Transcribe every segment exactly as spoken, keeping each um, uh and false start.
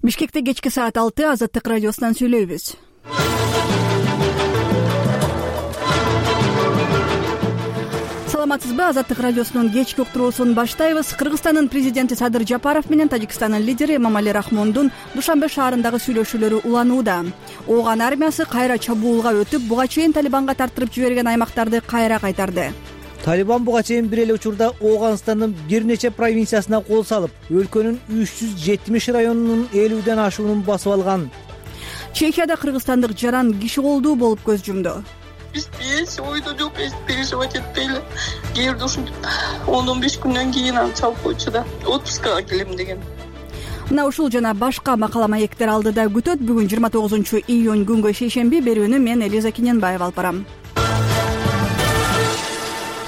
Бишкекте кечки саат алты Азаттык радиосунан сүйлөйбүз. Саламатсызбы? Азаттык радиосунун кечки уктуруусун баштайбыз. Кыргызстандын президенти Садыр Жапаров менен Тажикстандын лидери Эмомали Рахмондун Душанбе шаарындагы сүйлөшүүлөрү уланууда. Ооган армиясы кайра чабуулга өтүп, буга чейин Талибанга тартырып жиберген аймактарды кайра кайтарды. Талибан буга чейин бир эле учурда Ооганстандын бир нече провинциясына кол салып, өлкөнүн үч жүз жетимиш районунун элүүдөн ашуунун басып алган. Чехияда кыргызстандык жаран киши колдуу болуп көз жумду. Биз эч ойдо жок, эч переживать этпейли. Кээ бирде ушинтип он он беш күндөн кийин аны чалып койчу да, отпускага келем деген. Мына ушул жана башка макала маектер алдыда күтөт. Бүгүн жыйырма тогузунчу июнь күнгө шейшемби. Берүүнү мен Элиза Кененбаева алып барам.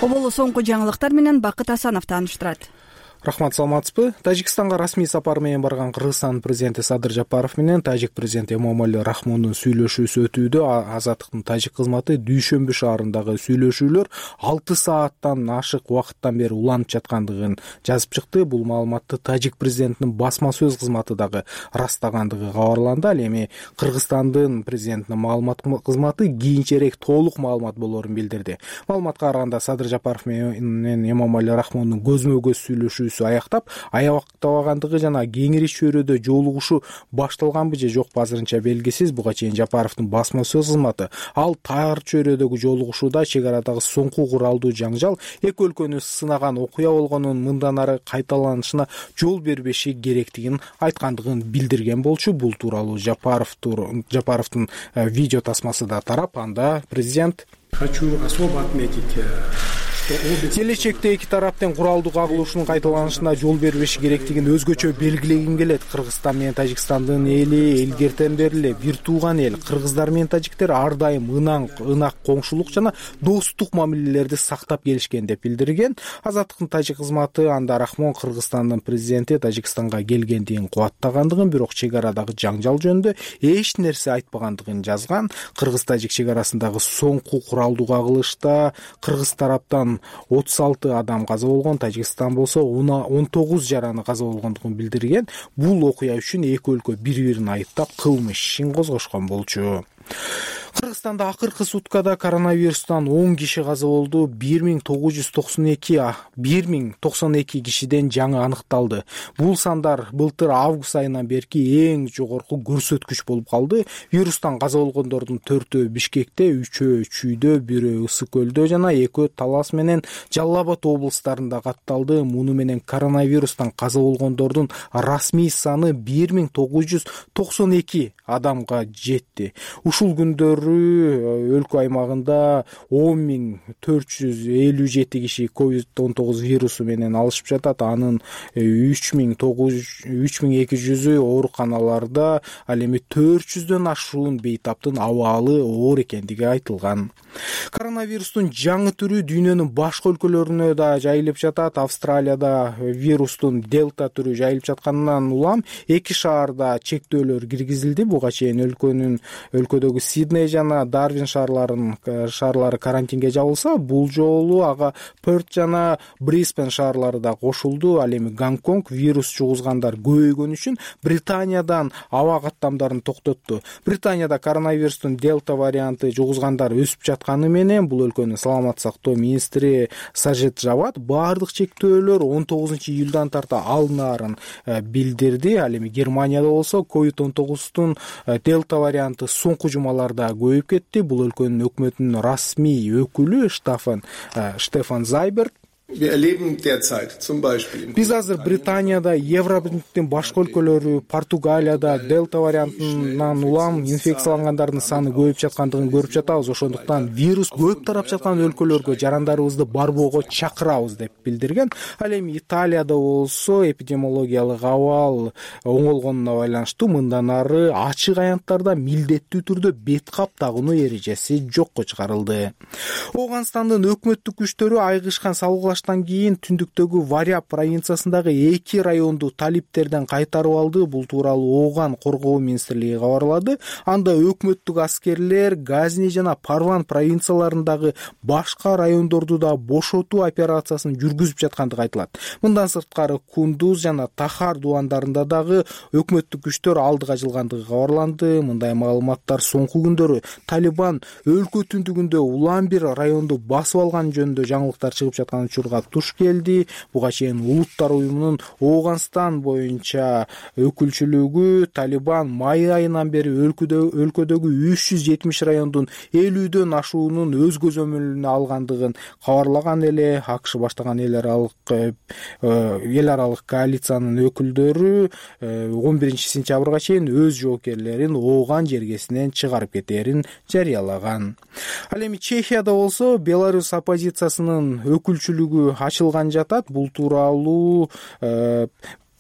Оболу соңку жаңылыктар менен Бакыт Асанов тааныштырат. Рахмат, саламатсызбы? Тажикстанга расмий сапар менен барган Кыргызстандын президенти Садыр Жапаров менен тажик президенти Эмомали Рахмондун сүйлөшүүсү өтүүдө. Азаттыктын тажик кызматы Дүйшөмбү шаарындагы сүйлөшүүлөр алты сааттан ашык убакыттан бери уланып жаткандыгын жазып чыкты. Бул маалыматты тажик президентинин басма сөз кызматы дагы ырастагандыгы кабарланды. Ал эми Кыргызстандын президентинин маалымат кызматы кийинчерээк толук маалымат болоорун билдирди. Маалыматка караганда Садыр Жапаров менен Эмомали Рахмондун көзмө көз сүйлөшүүсү аяктап, аябактабагандыгы жана кеңири чөйрөдө жолугушуу башталганбы же жокпу азырынча белгисиз. Буга чейин Жапаровдун басма сөз кызматы ал тар чөйрөдөгү жолугушууда чек арадагы соңку куралдуу жаңжал эки өлкөнү сынаган окуя болгонун мындан ары кайталанышына жол бербеши керектигин айткандыгын билдирген болчу. Бул тууралуу Жапаровдун видео тасмасы да тарап, анда президент: Хочу особо отметить келечекте эки тараптын куралдуу кагылышуунун кайталанышына жол бербеши керектигин өзгөчө белгилегим келет. Кыргызстан менен Тажикстандын эли элгертен бери эле бир тууган эл. Кыргыздар менен тажиктер ар дайым ынак ынак коңшулук жана достук мамилелерди сактап келишкен деп билдирген. Азаттыктын тажик кызматы анда Рахмон Кыргызстандын президенти Тажикстанга келгендигин кубаттагандыгын, бирок чек арадагы жаңжал жөнүндө эч нерсе айтпагандыгын жазган. Кыргыз-тажик чек арасындагы соңку куралдуу кагылышта кыргыз тараптан отуз алты адам каза болгон, Тажикстан болсо он тогуз жараны каза болгондугун билдирген. Бул окуя үчүн эки өлкө бири-бирин айыптап кылмыш ишин козгошкон болчу. Кыргызстанда акыркы суткада коронавирустан он киши каза болду. бир миң тогуз жүз токсон эки бир миң токсон эки кишиден жаңы аныкталды. Бул сандар былтыр август айынан берки эң жогорку көрсөткүч болуп калды. Вирустан каза болгондордун төртөө Бишкекте, үчөө Чүйдө, бирөө Ысык көлдө жана экөө Талас менен Жалал Абад облустарында катталды. Муну менен коронавирустан каза болгондордун расмий саны бир миң тогуз жүз токсон эки адамга жетти. Ушул күндөрү өлкө аймагында он миң төрт жүз элүү жети киши ковид он тогуз вирусу менен алышып жатат. Анын үч миң эки жүзү ооруканаларда, ал эми төрт жүздөн ашуун бейтаптын абалы оор экендиги айтылган. Коронавирустун жаңы түрү дүйнөнүн башка өлкөлөрүнө да жайылып жатат. Австралияда вирустун дельта түрү жайылып жатканынан улам эки шаарда чектөөлөр киргизилди. Буга чейин өлкөнүн өлкөдөгү Сидней жана Дарвин шаарларын шаарлары карантинге жабылса, бул жолу ага Перт жана Брисбен шаарлары да кошулду. Ал эми Гонконг вирус жугузгандар көбөйгөн үчүн Британиядан аба каттамдарын токтотту. Британияда коронавирустун дельта варианты жугузгандар өсүп жатканы менен бул өлкөнүн саламаттык сактоо министри Сажид Жавад баардык чектөөлөр он тогузунчу июлдан тарта алынаарын билдирди. Ал эми Германияда болсо ковид он тогуздун дельта варианты соңку жумаларда көбөйүп кетти. Бул өлкөнүн өкмөтүнүн расмий өкүлү Штефан Штефан Зайберт: Биз азыр Британияда, Евробирликтин башка өлкөлөрү, Португалияда дельта вариантынан улам инфекциялангандардын саны көбөйүп жаткандыгын көрүп жатабыз. Ошондуктан вирус көп тарап жаткан өлкөлөргө жарандарыбызды барбоого чакырабыз деп билдирген. Ал эми Италияда болсо эпидемиологиялык абал оңолгонуна байланыштуу мындан ары ачык аянттарда милдеттүү түрдө бет кап тагынуу эрежеси жокко чыгарылды. Ооганстандын өкмөттүк күчтөрү айгышкан салгылаш алыштан кийин түндүктөгү Варяб провинциясындагы эки районду талиптерден кайтарып алды. Бул тууралуу Ооган коргоо министрлиги кабарлады. Анда өкмөттүк аскерлер Газни жана Парван провинцияларындагы башка райондорду да бошотуу операциясын жүргүзүп жаткандыгы айтылат. Мындан сырткары Кундуз жана Тахар дубандарында дагы өкмөттүк күчтөр алдыга жылгандыгы кабарланды. Мындай маалыматтар соңку күндөрү Талибан өлкө түндүгүндө улам бир районду басып алган жөнүндө жаңылыктар чыгып жаткан учурга туш келди. Буга чейин Улуттар уюмунун Ооганстан боюнча өкүлчүлүгү Талибан май айынан бери өлкөдөгү өлкөдөгү үч жүз жетимиш райондун элүүдөн ашуунун өз көзөмөлүнө алгандыгын кабарлаган эле. АКШ баштаган эл аралык эл аралык коалициянын өкүлдөрү он биринчи сентябрга чейин өз жоокерлерин Ооган жергесинен чыгарып кетээрин жарыялаган. Ал эми Чехияда болсо Беларусь оппозициясынын өкүлчүлүгү ачылган жатат. Бул тууралуу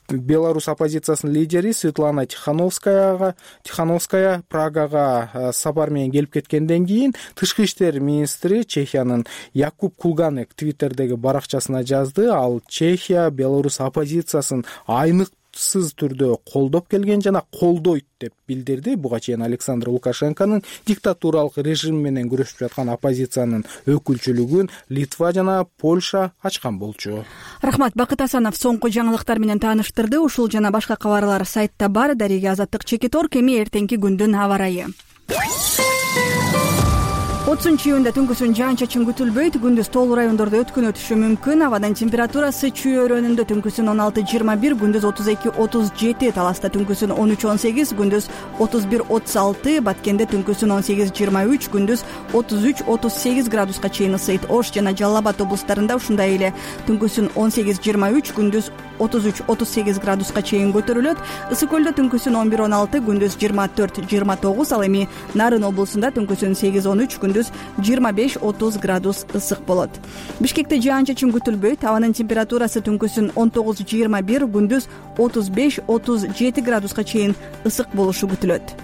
Беларусь оппозициясынын лидери Светлана Тихановскаяга Тихановская Прагага сапар менен келип кеткенден кийин тышкы иштер министри Чехиянын Якуб Кулганек Твиттердеги баракчасына жазды. Ал Чехия Беларусь оппозициясын айнык сыз түрдө колдоп келген жана колдойт деп билдирди. Буга чейин Александр Лукашенконун диктатуралык режим менен күрөшүп жаткан оппозициянын өкүлчүлүгүн Литва жана Польша ачкан болчу. Рахмат. Бакыт Асанов соңку жаңылыктар менен тааныштырды. Ушул жана башка кабарлар сайтта бар. Дарига Азаттык Чекитор. Эми эртеңки күндүн аба ырайы. отузунчу июнда түнкүсүн жаан-чачын күтүлбөйт. Күндүз тоолуу райондордо өткөн өтүшү мүмкүн. Абанын температурасы Чүй өрөөнүндө түнкүсүн он алты жыйырма бир, күндүз отуз эки отуз жети, Таласта түнкүсүн он үч он сегиз, күндүз отуз бир отуз алты, Баткенде түнкүсүн он сегиз жыйырма үч, күндүз отуз үч отуз сегиз градуска чейин ысыйт. Ош жана Жалал Абад облустарында ушундай эле түнкүсүн он сегиз жыйырма үч, күндүз отуз үч отуз сегиз градуска чейин көтөрүлөт. Ысык көлдө түнкүсүн он бир он алты, күндүз жыйырма төрт жыйырма тогуз, ал эми Нарын облусунда түнкүсүн сегиз он үч, күндүз жыйырма беш отуз градус ысык болот. Бишкекте жаан-чачын күтүлбөйт. Абанын температурасы түнкүсүн он тогуз жыйырма бир, күндүз отуз беш отуз жети градуска чейин ысык болушу күтүлөт.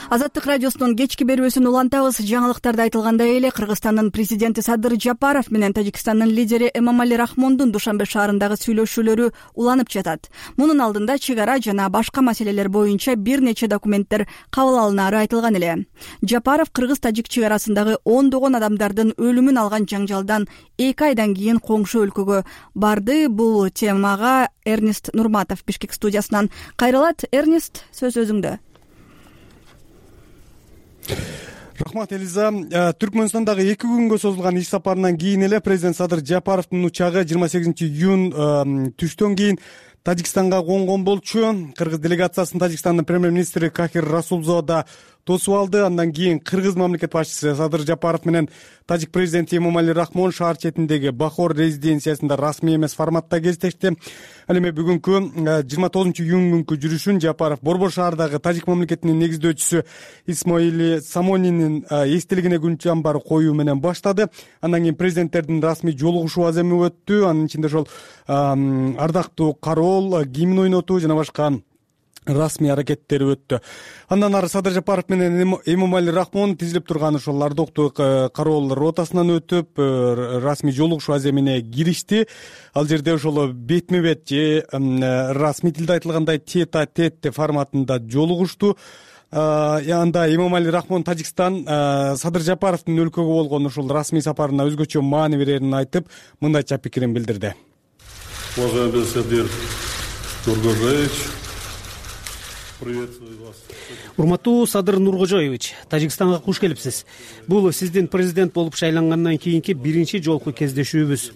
Азаттык радиосунун кечки берүүсүн улантабыз. Жаңылыктарда айтылгандай эле Кыргызстандын президенти Садыр Жапаров менен Тажикстандын лидери Эмомали Рахмондун Душанбе шаарындагы сүйлөшүүлөрү уланып жатат. Мунун алдында чек ара жана башка маселелер боюнча бир нече документтер кабыл алынары айтылган эле. Жапаров Кыргыз-Тажик чек арасындагы ондогон адамдардын өлүмүн алган жаңжалдан эки айдан кийин коңшу өлкөгө барды. Бул темага Эрнест Нурматов Бишкек студиясынан кайрылат. Эрнест, сөз өзүңдө. Рахмат, Элиза. Түркмөнстандагы эки күнгө созулган иш сапарынан кийин эле президент Садыр Жапаровдун учагы жыйырма сегизинчи июнь түштөн кийин Тажикстанга конгон болчу. Кыргыз делегациясын Тажикстандын премьер-министри Кахир Расулзода да тосуп алды. Андан кийин Кыргыз мамлекет башчысы Садыр Жапаров менен Тажик президенти Эмомали Рахмон шаар четиндеги Бахор резиденциясында расмий эмес форматта кездешти. Ал эми бүгүнкү жыйырма тогузунчу июнь күнкү жүрүшүн Жапаров Борбор шаардагы Тажик мамлекетинин негиздөөчүсү Исмоили Самонинин эстелигине күн чамбар коюу менен баштады. Андан кийин президенттердин расмий жолугушуу аземи өттү. Анын ичинде ошол ардактуу кароол, гимн ойнотуу жана башка расмий аракеттери өттү. Андан ары Садыр Жапаров менен Эмомали Рахмон тизилип турган ошол ардактуу кароол ротасынан өтүп, расмий жолугушуу аземине киришти. Ал жерде ошол бетме бет же расмий тилде айтылгандай тет а тет форматында жолугушту. Анда Эмомали Рахмон Тажикстан Садыр Жапаровдун өлкөгө болгон ошол расмий сапарына өзгөчө маани берерин айтып, мындайча пикирин билдирди. Уважаемый Садыр Нургожаевич, урматтуу Садыр Нургожоевич, Тажикстанга куш келипсиз. Бул сиздин президент болуп шайлангандан кийинки биринчи жолку кездешүүбүз.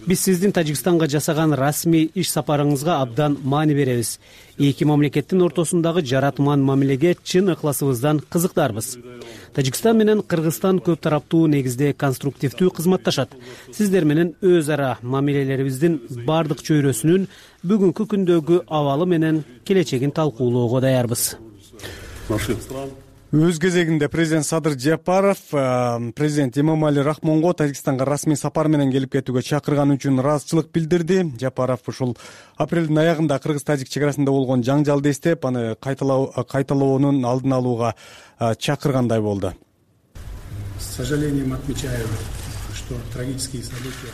Биз сиздин Тажикстанга жасаган расмий иш сапарыңызга абдан маани беребиз. Эки мамлекеттин ортосундагы жаратман мамилеге чын ыкласыбыздан кызыктарбыз. Тажикстан менен Кыргызстан көп тараптуу негизде конструктивдүү кызматташат. Сиздер менен өз ара мамилелерибиздин бардык чөйрөсүнүн бүгүнкү күндөгү абалы менен келечегин талкуулоого даярбыз. Өз кезегинде президент Садыр Жапаров президент Эмомали Рахмонго Тажикстанга расмий сапар менен келип кетүүгө чакырганы үчүн ыраазычылык билдирди. Жапаров ушул апрелдин аягында кыргыз-тажик чек арасында болгон жаңжалды эстеп, аны кайталоонун алдын алууга чакыргандай болду. С сожалением отмечаю, что трагические события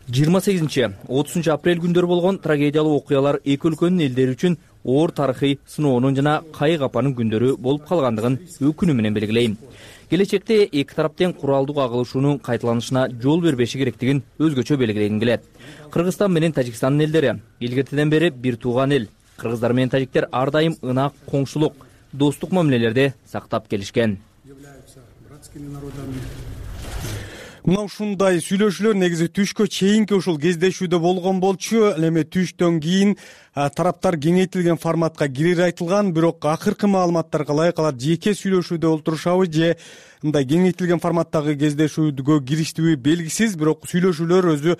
жыйырма сегизинчи отузунчу апрель күндөрү болгон трагедиялуу окуялар эки өлкөнүн элдери үчүн оор тарыхый сыноонун жана кайык апанын күндөрү болуп калгандыгын өкүнүү менен белгилейм. Келечекте эки тараптын куралдуу кагылышуунун кайталанышына жол бербеши керектигин өзгөчө белгилегим келет. Кыргызстан менен Тажикстандын элдери илгертеден бери бир тууган эл. Кыргыздар менен тажиктер ар дайым ынак, коңшулук, достук мамилелерди сактап келишкен. Мына ушундай сүйлөшүүлөр негизи түшкө чейинки ушул кездешүүдө болгон болчу. Ал эми түштөн кийин тараптар кеңейтилген форматка кирери айтылган, бирок акыркы маалыматтарга ылайык алар жеке сүйлөшүүдө олтурушабы же мындай кеңейтилген форматтагы кездешүүгө кириштиби белгисиз. Бирок сүйлөшүүлөр өзү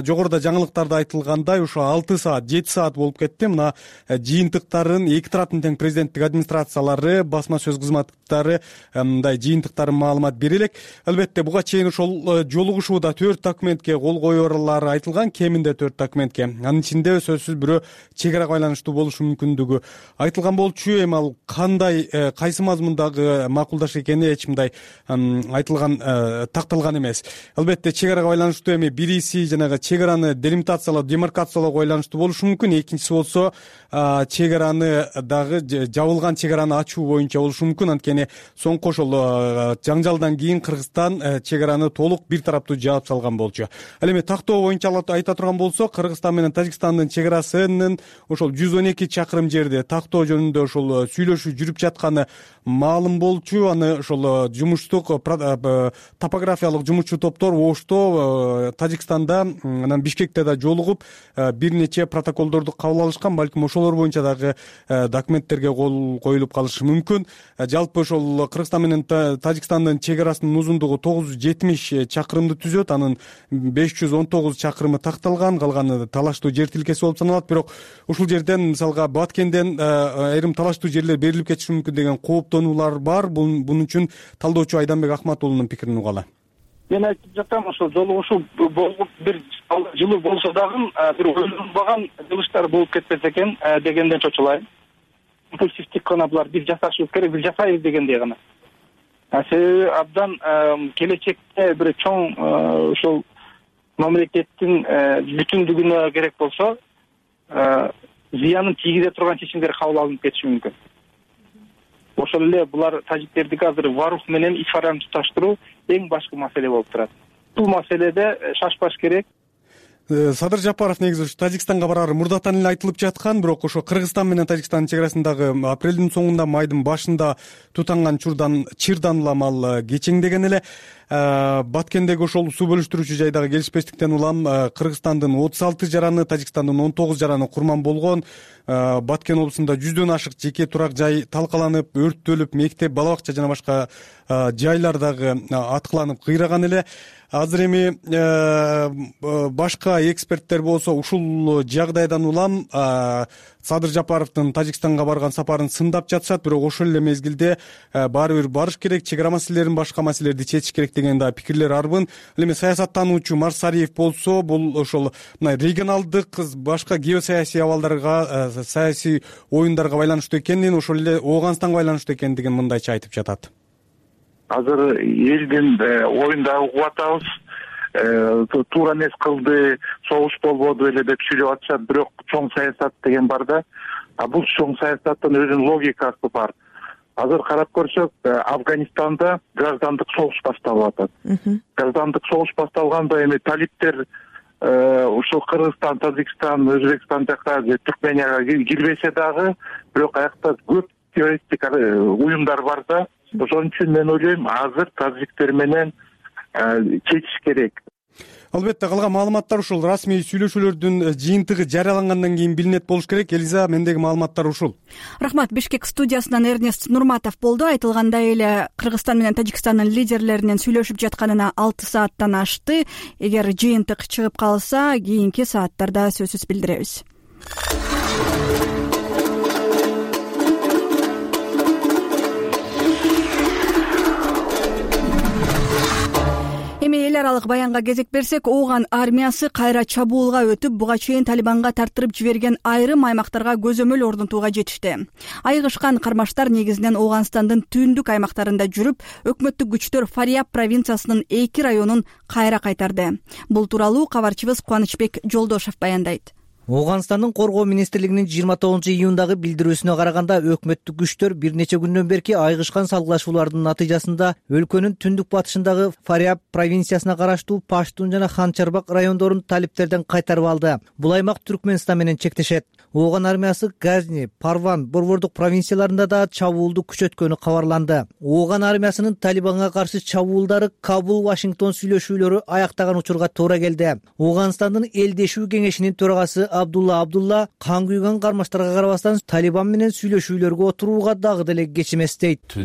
жогоруда жаңылыктарда айтылгандай ошо алты саат, жети саат болуп кетти. Мына жыйынтыктарын эки тараптын тең президенттик администрациялары, басма сөз кызматтары мындай жыйынтыктарын маалымат бере элек. Албетте буга чейин ошол жолугушууда төрт документке кол коёрлары айтылган, кеминде төрт документке. Анын ичинде сөзсүз бирөө чек арага байланыштуу болушу мүмкүндүгү айтылган болчу. Эми ал кандай, кайсы мазмундагы макулдаш экени эч мындай айтылган, такталган эмес. Албетте чек арага байланыштуу эми бириси жанагы чек араны делимитациялоо, демаркациялоого байланыштуу болушу мүмкүн. Экинчиси болсо чек араны дагы жабылган чек араны ачуу боюнча болушу мүмкүн. Анткени соңку ошол жаңжалдан кийин Кыргызстан чек араны толук бир тараптуу жаап салган болчу. Ал эми тактоо боюнча айта турган болсок, Кыргызстан менен Тажикстандын чек арасынын ошол жүз он эки чакырым жерде тактоо жөнүндө ошол сүйлөшүү жүрүп жатканы маалым болчу. Аны ошол жумуштук топографиялык жумушчу топтор Ошто, Тажикстанда, анан Бишкекте да жолугуп бир нече протоколдорду кабыл алышкан. Балким ошолор боюнча дагы документтерге кол коюлуп калышы мүмкүн. Жалпы ошол Кыргызстан менен Тажикстандын чек арасынын узундугу тогуз жүз жетимиш чакырымды түзөт. Анын беш жүз он тогуз чакырымы такталган, калганы талаштуу жер тилкеси болуп саналат. Бирок ушул жерден мисалга Баткенден айрым талаштуу жерлер берилип кетиши мүмкүн деген кооптонуулар бар. Бунун үчүн талдоочу Айданбек Ахматуулунун пикирин угалы. Мен айтып жатам, ошол жолугушуу болуп бир жылуу болсо дагы бир ойлонбаган жылыштар болуп кетпесе экен дегенден чочулайм. Импульсивдик гана булар бир жасашыбыз керек, бир жасайбыз дегендей гана. Себеби абдан келечекте бир чоң ошол мамлекеттин бүтүндүгүнө керек болсо зыянын тийгизе турган чечимдер кабыл алынып кетиши мүмкүн. Ошол эле булар тажиктердики азыр Варух менен ифараны туташтыруу эң башкы маселе болуп турат. Бул маселеде шашпаш керек. Садыр Жапаров негизи Тажикстанга барары мурдатан эле айтылып жаткан, бирок ошо Кыргызстан менен Тажикстандын чек арасындагы апрелдин соңунда, майдын башында тутанган чурдан чырдан улам ал кечеңдеген эле. Баткендеги ошол суу бөлүштүрүүчү жайдагы келишпестиктен улам Кыргызстандын отуз алты жараны, Тажикстандын он тогуз жараны курман болгон. Баткен облусунда жүздөн ашык жеке турак жай талкаланып, өрттөлүп, мектеп, бала бакча жана башка жайлар дагы аткыланып кыйраган эле. Азыр эми башка эксперттер болсо ушул жагдайдан улам Садыр Жапаровдун Тажикстанга барган сапарын сындап жатышат. Бирок ошол эле мезгилде баары бир барыш керек, чек ара маселелерин, башка маселелерди чечиш керек деген да пикирлер арбын. Ал эми саясаттануучу Марсариев болсо, бул ошол мына регионалдык, башка геосаясий абалдарга, саясий оюндарга байланыштуу экенин, ошол эле Ооганстанга байланыштуу экендигин мындайча айтып жатат. Азыр элдин оюнда угуп атабыз. Туура эмес кылды, согуш болбоду эле деп сүйлөп атышат. Бирок чоң саясат деген бар да. А бул чоң саясаттын өзүнүн логикасы бар. Азыр карап көрсөк, Афганистанда граждандык согуш башталып атат. Граждандык согуш башталганда эми талиптер ушул Кыргызстан, Тажикстан, Өзбекстан жака, Түркменияга кирбесе дагы, бирок аякта көп террористтик уюмдар бар да. Ошон үчүн мен ойлойм, азыр тажиктер менен чечиш керек. Албетте калган маалыматтар ушул расмий сүйлөшүүлөрдүн жыйынтыгы жарыялангандан кийин билинет болуш керек. Элиза, мендеги маалыматтар ушул. Рахмат. Бишкек студиясынан Эрнест Нурматов болду. Айтылгандай эле Кыргызстан менен Тажикстандын лидерлеринин сүйлөшүп жатканына алты сааттан ашты. Эгер жыйынтык чыгып калса, кийинки сааттарда сөзсүз билдиребиз. Эми эл аралык баянга кезек берсек, Ооган армиясы кайра чабуулга өтүп, буга чейин Талибанга тартырып жиберген айрым аймактарга көзөмөл орнотууга жетишти. Айыгышкан кармаштар негизинен Ооганстандын түндүк аймактарында жүрүп, өкмөттүк күчтөр Фариаб провинциясынын эки районун кайра кайтарды. Бул тууралуу кабарчыбыз Кубанычбек Жолдошов баяндайт. Ооганстандын коргоо министрлигинин жыйырма тогузунчу июндагы билдирүүсүнө караганда, өкмөттүк күчтөр бир нече күндөн берки айыгышкан салгылашуулардын натыйжасында өлкөнүн түндүк батышындагы Фариаб провинциясына караштуу Паштун жана Ханчарбак райондорун талиптерден кайтарып алды. Бул аймак Түркмөнстан менен чектешет. Ооган армиясы Газни, Парван, Борбордук провинцияларында да чабуулду күчөткөнү кабарланды. Ооган армиясынын Талибанга каршы чабуулдары Кабул-Вашингтон сүйлөшүүлөрү аяктаган учурга туура келди. Ооганстандын элдешүү кеңешинин төрагасы Абдулла Абдулла кан күйгөн кармаштарга карабастан Талибан менен сүйлөшүүлөргө отурууга дагы деле кеч эмес дейт.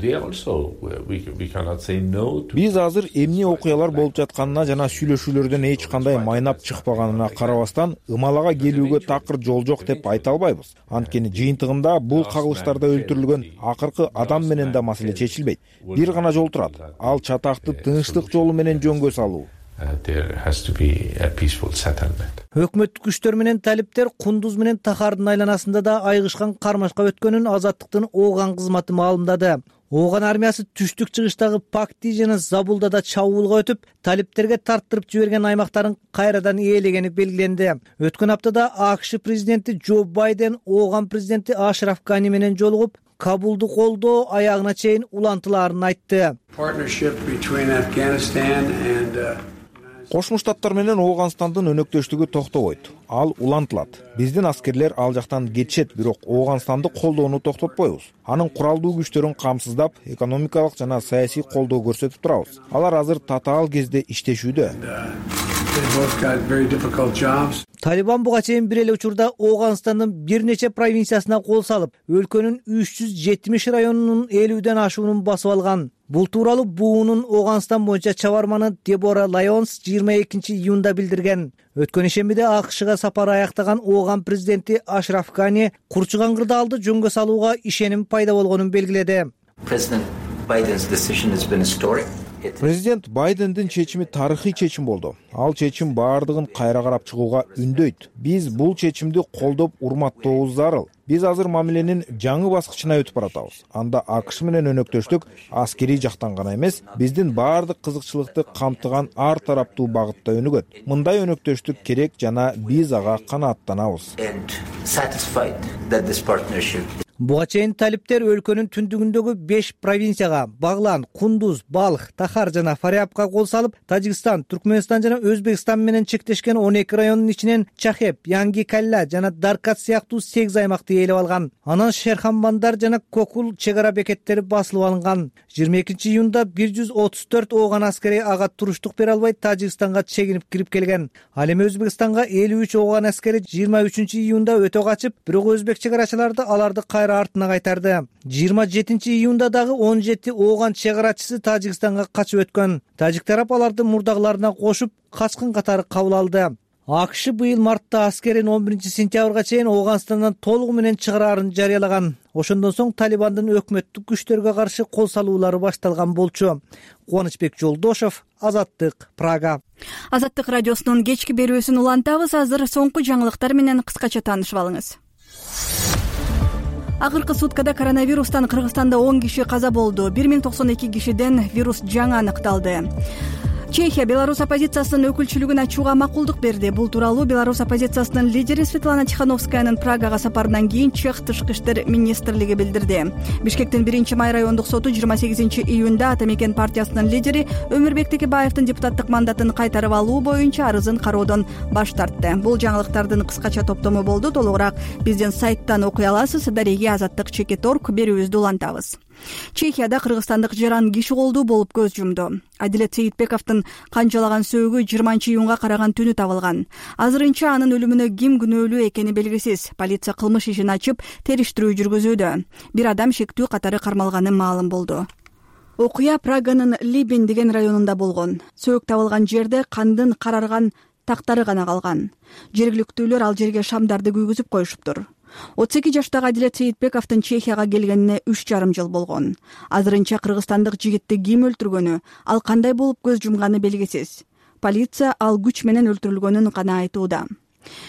Биз азыр эмне окуялар болуп жатканына жана сүйлөшүүлөрдөн эч кандай майнап чыкпаганына карабастан ымалага келүүгө такыр жол жок деп айта албайбыз. Анткени жыйынтыгында бул кагылыштарда өлтүрүлгөн акыркы адам менен да маселе чечилбейт. Бир гана жол турат. Ал чатакты тынчтык жолу менен жөнгө салуу. Өкмөттүк күчтөр менен талиптер Кундуз менен Тахардын айланасында да айыгышкан кармашка өткөнүн Азаттыктын Ооган кызматы маалымдады. Ооган армиясы түштүк чыгыштагы Пакти жана Забулда да чабуулга өтүп, талиптерге тарттырып жиберген аймактарын кайрадан ээлегени белгиленди. Өткөн аптада АКШ президенти Джо Байден Ооган президенти Ашраф Гани менен жолугуп, Кабулду колдоо аягына чейин улантылаарын айтты. Кошмо Штаттар менен Ооганстандын өнөктөштүгү токтобойт. Ал улантылат. Биздин аскерлер ал жактан кетишет, бирок Ооганстанды колдоону токтотпойбуз. Анын куралдуу күчтөрүн камсыздап, экономикалык жана саясий колдоо көрсөтүп турабыз. Алар азыр татаал кезде иштешүүдө. Талибан буга чейин бир эле учурда Ооганстандын бир нече провинциясына кол салып, өлкөнүн үч жүз жетимиш районунун элүүдөн ашуунун басып алган. Бул тууралуу буунун Ооганстан боюнча чабарманы Дебора Лайонс жыйырма экинчи июнда билдирген. Өткөн ишембиде АКШга сапары аяктаган Ооган президенти Ашраф Гани Курчуган кырдаалды жөнгө салууга ишеним пайда болгонун белгиледи. Президент Байдендин чечими тарыхый чечим болду. Ал чечим баардыгын кайра карап чыгууга үндөйт. Биз бул чечимди колдоп урматтообуз зарыл. Биз азыр мамиленин жаңы баскычына өтүп баратабыз. Анда АКШ менен өнөктөштүк аскерий жактан гана эмес, биздин баардык кызыкчылыкты камтыган ар тараптуу багытта өнүгөт. Мындай өнөктөштүк керек жана биз ага канааттанабыз. Буга чейин талиптер өлкөнүн түндүгүндөгү беш провинцияга Баглан, Кундуз, Балх, Тахар жана Фариабка кол салып, Тажикстан, Түркмөнстан жана Өзбекстан менен чектешкен он эки райондун ичинен Чахеп, Янги Калла жана Даркат сыяктуу сегиз аймакты ээлеп алган. Анан Шерханбандар жана Кокул чек ара бекеттери басылып алынган. жыйырма экинчи июнда бир жүз отуз төрт Ооган аскери ага туруштук бере албай Тажикстанга чегинип кирип келген. Ал эми Өзбекстанга элүү үч Ооган аскери жыйырма үчүнчү июнда өтө качып, бирок өзбек чек арачыларды аларды кайра артына кайтарды. жыйырма жетинчи июнда дагы он жети Ооган чек арачысы Тажикстанга качып өткөн. Тажик тарап аларды мурдагыларына кошуп, качкын катары кабыл алды. АКШ быйыл мартта аскерин он биринчи сентябрга чейин Ооганстандан толугу менен чыгараарын жарыялаган. Ошондон соң Талибандын өкмөттүк күчтөргө каршы кол салуулары башталган болчу. Кубанычбек Жолдошов, Азаттык, Прага. Азаттык радиосунун кечки берүүсүн улантабыз. Азыр соңку жаңылыктар менен кыскача таанышып алыңыз. Акыркы суткада коронавирустан Кыргызстанда он киши каза болду. бир миң токсон эки кишиден вирус жаңы аныкталды. Чехия Беларусь оппозициясынын өкүлчүлүгүн ачууга макулдук берди. Бул тууралуу Беларусь оппозициясынын лидери Светлана Тихановскаянын Прагага сапарынан кийин Чех тышкы иштер министрлиги билдирди. Бишкектин биринчи май райондук соту жыйырма сегизинчи июнда Ата Мекен партиясынын лидери Өмүрбек Текебаевдин депутаттык мандатын кайтарып алуу боюнча арызын кароодон баш тартты. Бул жаңылыктардын кыскача топтому болду. Толугураак биздин сайттан окуй аласыз. Дареги Азаттык чекит точка орг берүүбүздү улантабыз. Чехияда кыргызстандык жаран киши колдуу болуп көз жумду. Адилет Сейитбековдун канчалаган сөөгү жыйырманчы июнга караган түнү табылган. Азырынча анын өлүмүнө ким күнөөлүү экени белгисиз. Полиция кылмыш ишин ачып, териштирүү жүргүзүүдө. Бир адам шектүү катары кармалганы маалым болду. Окуя Праганын Либин деген районунда болгон. Сөөк табылган жерде кандын карарган тактары гана калган. Жергиликтүүлөр ал жерге шамдарды күйгүзүп коюшуптур. отуз эки жаштагы Адилет Сейитбековдун Чехияга келгенине үч жарым жыл болгон. Азырынча кыргызстандык жигитти ким өлтүргөнү, ал кандай болуп көз жумганы белгисиз. Полиция ал күч менен өлтүрүлгөнүн гана айтууда.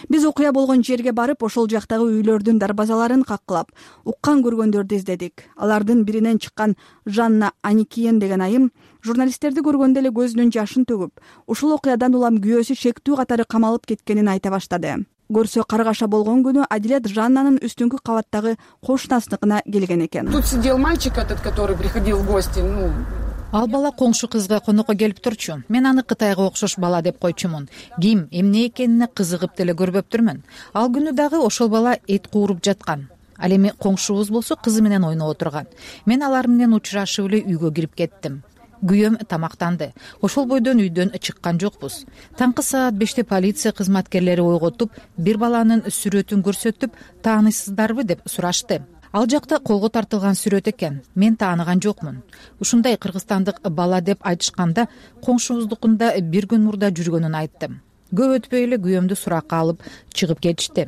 Биз окуя болгон жерге барып, ошол жактагы үйлөрдүн дарбазаларын каккылап, уккан көргөндөрдү издедик. Алардын биринен чыккан Жанна Аникиен деген айым журналисттерди көргөндө эле көзүнүн жашын төгүп, ушул окуядан улам күйөөсү шектүү катары камалып кеткенин айта баштады. Көрсө каргаша болгон күнү Адилет Жаннанын үстүнкү кабаттагы кошунасыныкына келген экен. Тут сидел мальчик этот, который приходил в гости, ну Ал бала коңшу кызга конокко келип турчу. Мен аны Кытайга окшош бала деп койчумун. Ким, эмне экенине кызыгып деле көрбөптүрмүн. Ал күнү дагы ошол бала эт кууруп жаткан. Ал эми коңшубуз болсо кызы менен ойноп отурган. Мен алар менен учурашып эле үйгө кирип кеттим. Күйөөм тамактанды. Ошол бойдон үйдөн чыккан жокпуз. Таңкы саат беште полиция кызматкерлери ойготуп, бир баланын сүрөтүн көрсөтүп, таанысыздарбы деп сурашты. Ал жакта колго тартылган сүрөт экен. Мен тааныган жокмун. Ушундай кыргызстандык бала деп айтышканда, коңшубуздукунда бир күн мурда жүргөнүн айттым. Көп өтпөй эле күйөөмдү суракка алып чыгып кетишти.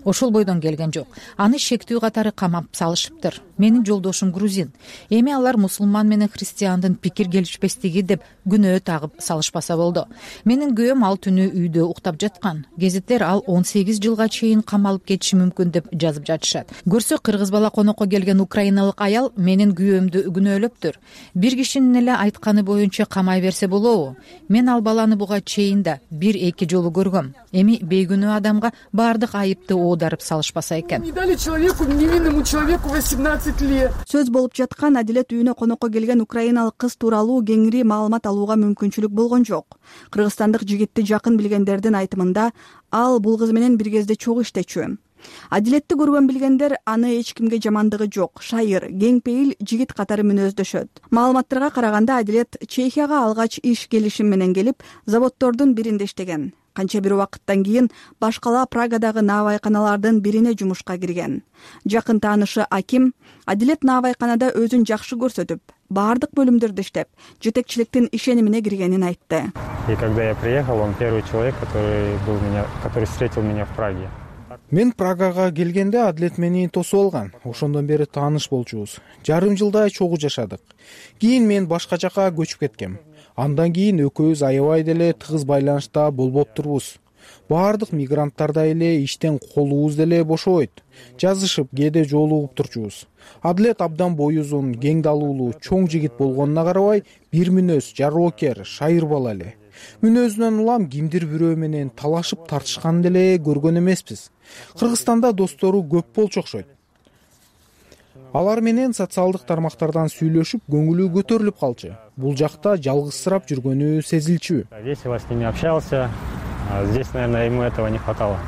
Ошол бойдон келген жок. Аны шектүү катары камап салышыптыр. Менин жолдошум грузин. Эми алар мусулман менен христиандын пикир келишпестиги деп күнөө тагып салышпаса болду. Менин күйөөм ал түнү үйдө уктап жаткан. Гезиттер ал он сегиз жылга чейин камалып кетиши мүмкүн деп жазып жатышат. Көрсө кыргыз бала конокко келген украиналык аял менин күйөөмдү күнөөлөптүр. Бир кишинин эле айтканы боюнча камай берсе болобу? Мен ал баланы буга чейин да бир эки жолу көргөм. Эми бейгүнөө адамга баардык айыпты оодарып салышпаса экен. Не дали человеку, невинному человеку восемнадцать лет. Сөз болуп жаткан Адилет үйүнө конокко келген украиналык кыз тууралуу кеңири маалымат алууга мүмкүнчүлүк болгон жок. Кыргызстандык жигитти жакын билгендердин айтымында, ал бул кыз менен бир кезде чогуу иштечү. Адилетти көргөн билгендер аны эч кимге жамандыгы жок, шайыр, кең пейил жигит катары мүнөздөшөт. Маалыматтарга караганда Адилет Чехияга алгач иш келишим менен келип, заводдордун биринде иштеген. Канча бир убакыттан кийин башкала Прагадагы наабайканалардын бирине жумушка кирген. Жакын таанышы Аким Адилет наабайканада өзүн жакшы көрсөтүп, баардык бөлүмдөрдө иштеп, жетекчиликтин ишенимине киргенин айтты. И когда я приехал, он первый человек, который был меня, который встретил меня в Праге. Мен Прагага келгенде Адилет мени тосуп алган. Ошондон бери тааныш болчубуз. Жарым жылдай чогуу жашадык. Кийин мен башка жака көчүп кеткем. Андан кийин экөөбүз аябай деле тыгыз байланышта болбоптурбуз. Баардык мигранттардай эле иштен колубуз деле бошобойт. Жазышып, кээде жолугуп турчубуз. Адилет абдан бою узун, кең далуулуу, чоң жигит болгонуна карабай, бир мүнөз, жароокер, шайыр бала эле. Мүнөзүнөн улам кимдир бирөө менен талашып тартышкан деле көргөн эмеспиз. Кыргызстанда достору көп болчу окшойт. Алар менен социалдык тармактардан сүйлөшүп, көңүлү көтөрүлүп калчу. Бул жакта жалгызсырап жүргөнү сезилчү. Весело с ними общался. Здесь, наверное, ему этого не хватало.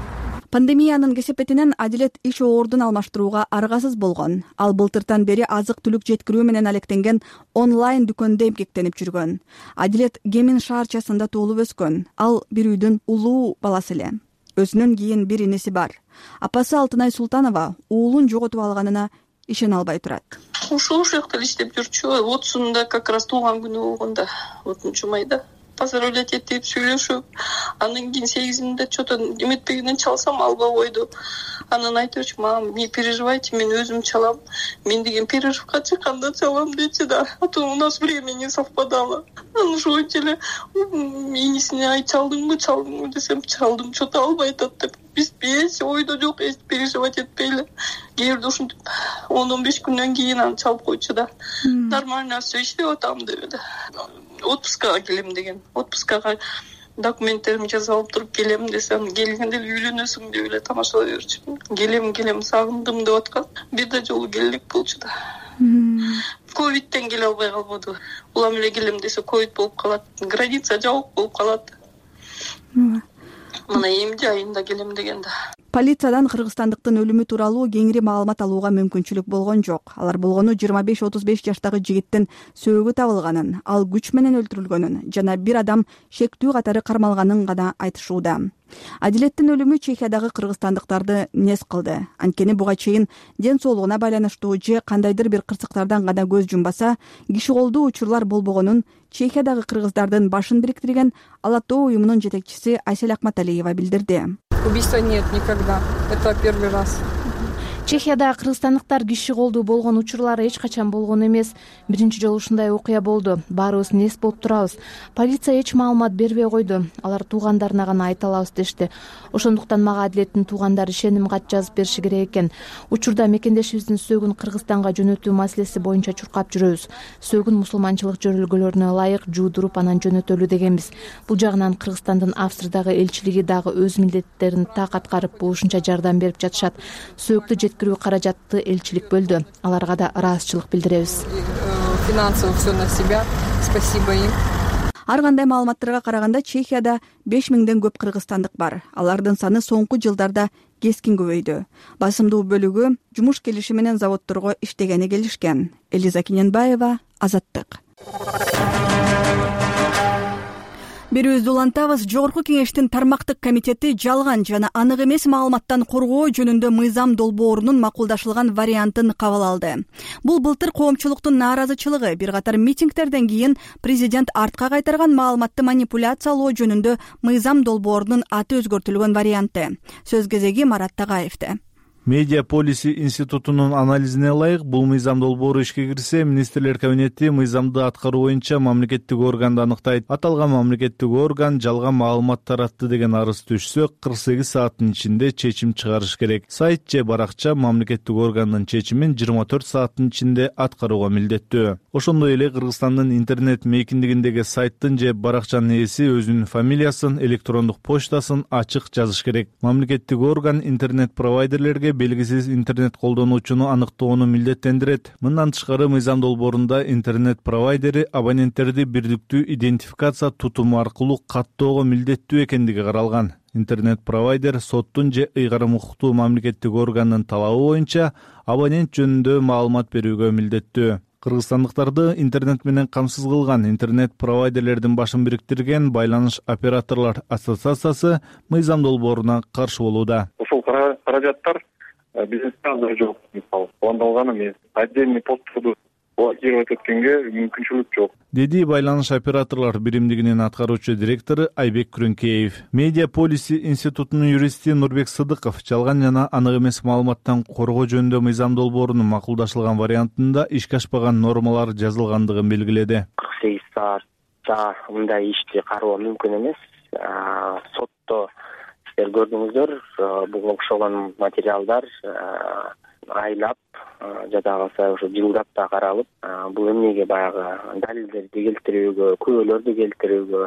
Пандемиянын кесепетинен Адилет иш ордун алмаштырууга аргасыз болгон. Ал былтыртан бери азык-түлүк жеткирүү менен алектенген онлайн дүкөндө эмгектенип жүргөн. Адилет Кемин шаарчасында туулуп өскөн. Ал бир үйдүн улуу баласы эле. Өзүнөн кийин бир иниси бар. Апасы Алтынай Султанова уулун жоготуп алганына ишене албай турат. Ушул жакта иштеп жүрчү. отузунда как раз туулган күнү болгондо, отузунчу майда. Поздравлять этип сүйлөшүп, андан кийин сегизинде что-то эметпегенден чалсам албай койду. Анан айтып, мам, не переживайте, мен өзүм чалам. Мен деген перерывка чыкканда чалам дейчи да. А то у нас время не совпадало. Анан ошончо эле инисине ай чалдыңбы, чалдыңбы десем, чалдым, что-то албай атат деп. Биз эч ойдо жок, эч переживать этпейли. Кээ бирде ушинтип он он беш күндөн кийин аны чалып койчу да. Нормально все иштеп атам деп. Отпускага келем деген. Отпускага документтеримди жазып алып туруп келем десем, келгенде үйлөнөсүң деп эле тамашалай берчү. Келем, келем, сагындым деп аткан. Бир да жолу келдик болчу да. Ковидтен келе албай калбады. Улам эле келем десе ковид болуп калат. Граница жабык болуп калат. Мына эмди айында келем дегенде. Полициядан кыргызстандыктын өлүмү тууралуу кеңири маалымат алууга мүмкүнчүлүк болгон жок. Алар болгону жыйырма беш отуз беш жаштагы жигиттин сөөгү табылганын, ал күч менен өлтүрүлгөнүн жана бир адам шектүү катары кармалганын гана айтышууда. Адилеттин өлүмү Чехиядагы кыргызстандыктарды нез кылды. Анткени буга чейин ден соолугуна байланыштуу же кандайдыр бир кырсыктардан гана көз жумбаса, киши колдуу учурлар болбогонун Чехиядагы кыргыздардын башын бириктирген Ала тоо уюмунун жетекчиси Айсель Акматалиева билдирди. Убийства нет никогда. Это первый раз. Чехияда кыргызстандыктар киши колдуу болгон учурлары эч качан болгон эмес. Биринчи жолу ушундай окуя болду. Баарыбыз нес болуп турабыз. Полиция эч маалымат бербей койду. Алар туугандарына гана айта алабыз дешти. Ошондуктан мага адилеттин туугандары ишеним кат жазып бериши керек экен. Учурда мекендешибиздин сөөгүн Кыргызстанга жөнөтүү маселеси боюнча чуркап жүрөбүз. Сөөгүн мусулманчылык жөрөлгөлөрүнө ылайык жуудуруп анан жөнөтөлү дегенбиз. Бул жагынан Кыргызстандын Австриядагы элчилиги дагы өз милдеттерин так аткарып, болушунча жардам берип жатышат. Сөөктү жеткирүү каражатты элчилик бөлдү. Аларга да ыраазычылык билдиребиз. Финансово все на себя. Спасибо им. Ар кандай маалыматтарга караганда Чехияда беш миңден көп кыргызстандык бар. Алардын саны соңку жылдарда кескин көбөйдү. Басымдуу бөлүгү жумуш келиши менен заводдорго иштегени келишкен. Элиза Кененбаева, Азаттык. Берүүбүздү улантабыз. Жогорку кеңештин тармактык комитети жалган жана анык эмес маалыматтан коргоо жөнүндө мыйзам долбоорунун макулдашылган вариантын кабыл алды. Бул былтыр коомчулуктун нааразычылыгы, бир катар митингтерден кийин президент артка кайтарган маалыматты манипуляциялоо жөнүндө мыйзам долбоорунун аты өзгөртүлгөн варианты. Сөз кезеги Марат Тагаевде. Медиа Policy институтунун анализине ылайык, бул мыйзам долбоору ишке кирсе, министрлер кабинети мыйзамды аткаруу боюнча мамлекеттик органды аныктайт. Аталган мамлекеттик орган жалган маалымат таратты деген арыз түшсө, кырк сегиз сааттын ичинде чечим чыгарыш керек. Сайт же баракча мамлекеттик органдын чечимин жыйырма төрт сааттын ичинде аткарууга милдеттүү. Ошондой эле Кыргызстандын интернет мейкиндигиндеги сайттын же баракчанын ээси өзүнүн фамилиясын, электрондук почтасын ачык жазыш керек. Мамлекеттик орган интернет провайдерлерге белгисиз интернет колдонуучуну аныктоону милдеттендирет. Мындан тышкары мыйзам долбоорунда интернет провайдери абоненттерди бирдиктүү идентификация тутуму аркылуу каттоого милдеттүү экендиги каралган. Интернет провайдер соттун же ыйгарым укуктуу мамлекеттик органдын талабы боюнча абонент жөнүндө маалымат берүүгө милдеттүү. Кыргызстандыктарды интернет менен камсыз кылган интернет провайдерлердин башын бириктирген Байланыш операторлор ассоциациясы мыйзам долбооруна каршы болууда. Ушул каражаттар бизнесте азыр жок. Мисалы, пландалган эмес. Отдельный постторду блокировать эткенге мүмкүнчүлүк жок, деди Байланыш операторлор биримдигинин аткаруучу директору Айбек Күрөңкеев. Медиа Policy институтунун юристи Нурбек Сыдыков жалган жана анык эмес маалыматтан коргоо жөнүндө мыйзам долбоорунун макулдашылган вариантында ишке ашпаган нормалар жазылгандыгын белгиледи. кырк сегиз саатча мындай ишти кароо мүмкүн эмес. Сотто сиздер көрдүңүздөр, буга окшогон материалдар айлап жада калса ошо жылдап да каралып, бул эмнеге баягы далилдерди келтирүүгө, күбөлөрдү келтирүүгө,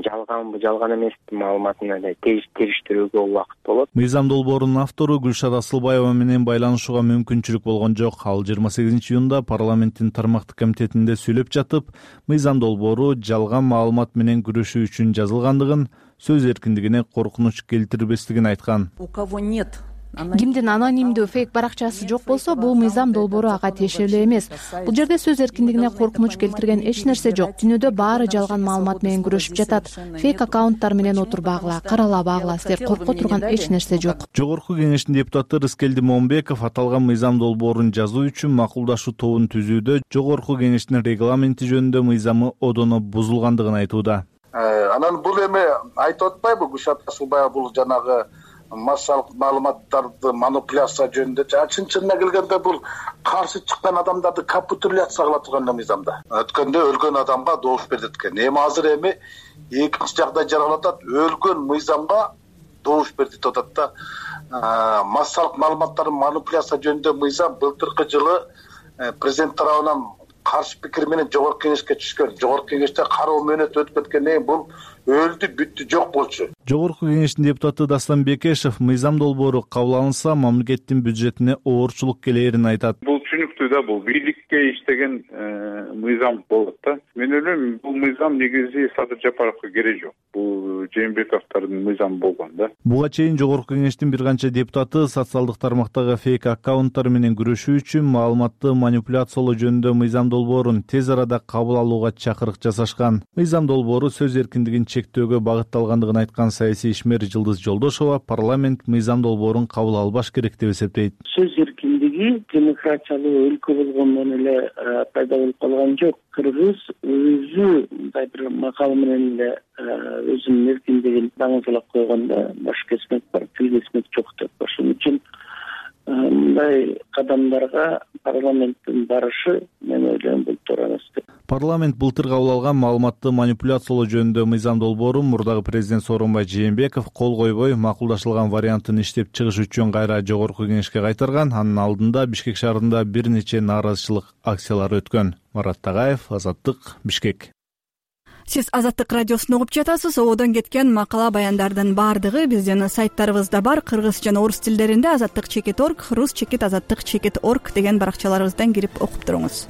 жалганбы, жалган эмеспи маалыматын эле териштирүүгө убакыт болот. Мыйзам долбоорунун автору Гүлшара Асылбаева менен байланышууга мүмкүнчүлүк болгон жок. Ал жыйырма сегизинчи июнда парламенттин тармактык комитетинде сүйлөп жатып, мыйзам долбоору жалган маалымат менен күрөшүү үчүн жазылгандыгын, сөз эркиндигине коркунуч келтирбестигин айткан. У кого нет Кимдин анонимдүү фейк баракчасы жок болсо, бул мыйзам долбоору ага тиешелүү эмес. Бул жерде сөз эркиндигине коркунуч келтирген эч нерсе жок. Дүйнөдө баары жалган маалымат менен күрөшүп жатат. Фейк аккаунттар менен отурбагыла, каралабагыла, силер корко турган эч нерсе жок. Жогорку кеңештин депутаты Рыскелди Момбеков аталган мыйзам долбоорун жазуу үчүн макулдашуу тобун түзүүдө жогорку кеңештин регламенти жөнүндө мыйзамы одоно бузулгандыгын айтууда. Анан бул эми айтып атпайбы Гүлшара Асылбаева, бул жанагы массалык маалыматтарды манипуляция жөнүндө, чын-чынына келгенде бул каршы чыккан адамдарды капитуляция кыла турган мыйзамда. Өткөндө өлгөн адамга добуш берди экен. Эми азыр эми экинчи жагдай жаралып атат, өлгөн мыйзамга добуш берди деп атат да. Массалык маалыматтардын манипуляция жөнүндө мыйзам былтыркы жылы президент тарабынан каршы пикир менен жогорку кеңешке түшкөн. Жогорку кеңеште кароо мөөнөтү өтүп кеткенден кийин бул өлдү, бүттү, жок болчу. Жогорку кеңештин депутаты Дастан Бекешев мыйзам долбоору кабыл алынса, мамлекеттин бюджетине оорчулук келээрин айтат. Бул түшүнүктүү да, бул бийликке иштеген мыйзам болот да. Мен ойлойм, бул мыйзам негизи Садыр Жапаровго кереги жок. Бул Жээнбековдун мыйзамы болгон да. Буга чейин жогорку кеңештин бир канча депутаты социалдык тармактагы фейк аккаунттар менен күрөшүү үчүн маалыматты манипуляциялоо жөнүндө мыйзам долбоорун тез арада кабыл алууга чакырык жасашкан. Мыйзам долбоору сөз эркиндигин чектөөгө багытталгандыгын айткан саясий ишмер Жылдыз Жолдошова парламент мыйзам долбоорун кабыл албаш керек деп эсептейт. Сөз эркиндиги демократиялуу өлкө болгондон эле пайда болуп калган жок. Кыргыз өзү мындай бир макал менен эле өзүнүн эркиндигин даңызалап койгондо баш кесмек бар, тил кесмек жок деп. Ошон үчүн мындай кадамдарга парламенттин барышы, мен ойлойм, бул туура эмес деп. Парламент былтыр кабыл алган маалыматты манипуляциялоо жөнүндө мыйзам долбоорун мурдагы президент Сооронбай Жээнбеков кол койбой, макулдашылган вариантын иштеп чыгыш үчүн кайра жогорку кеңешке кайтарган. Анын алдында Бишкек шаарында бир нече нааразычылык акциялары өткөн. Марат Тагаев, Азаттык, Бишкек. Сиз Азаттык радиосун угуп жатасыз. Одон кеткен макала баяндардын баардыгы биздин сайттарыбызда бар. Кыргыз жана орус тилдеринде азаттык чекит орг, рус чекит азаттык чекит орг деген баракчаларыбыздан кирип окуп туруңуз.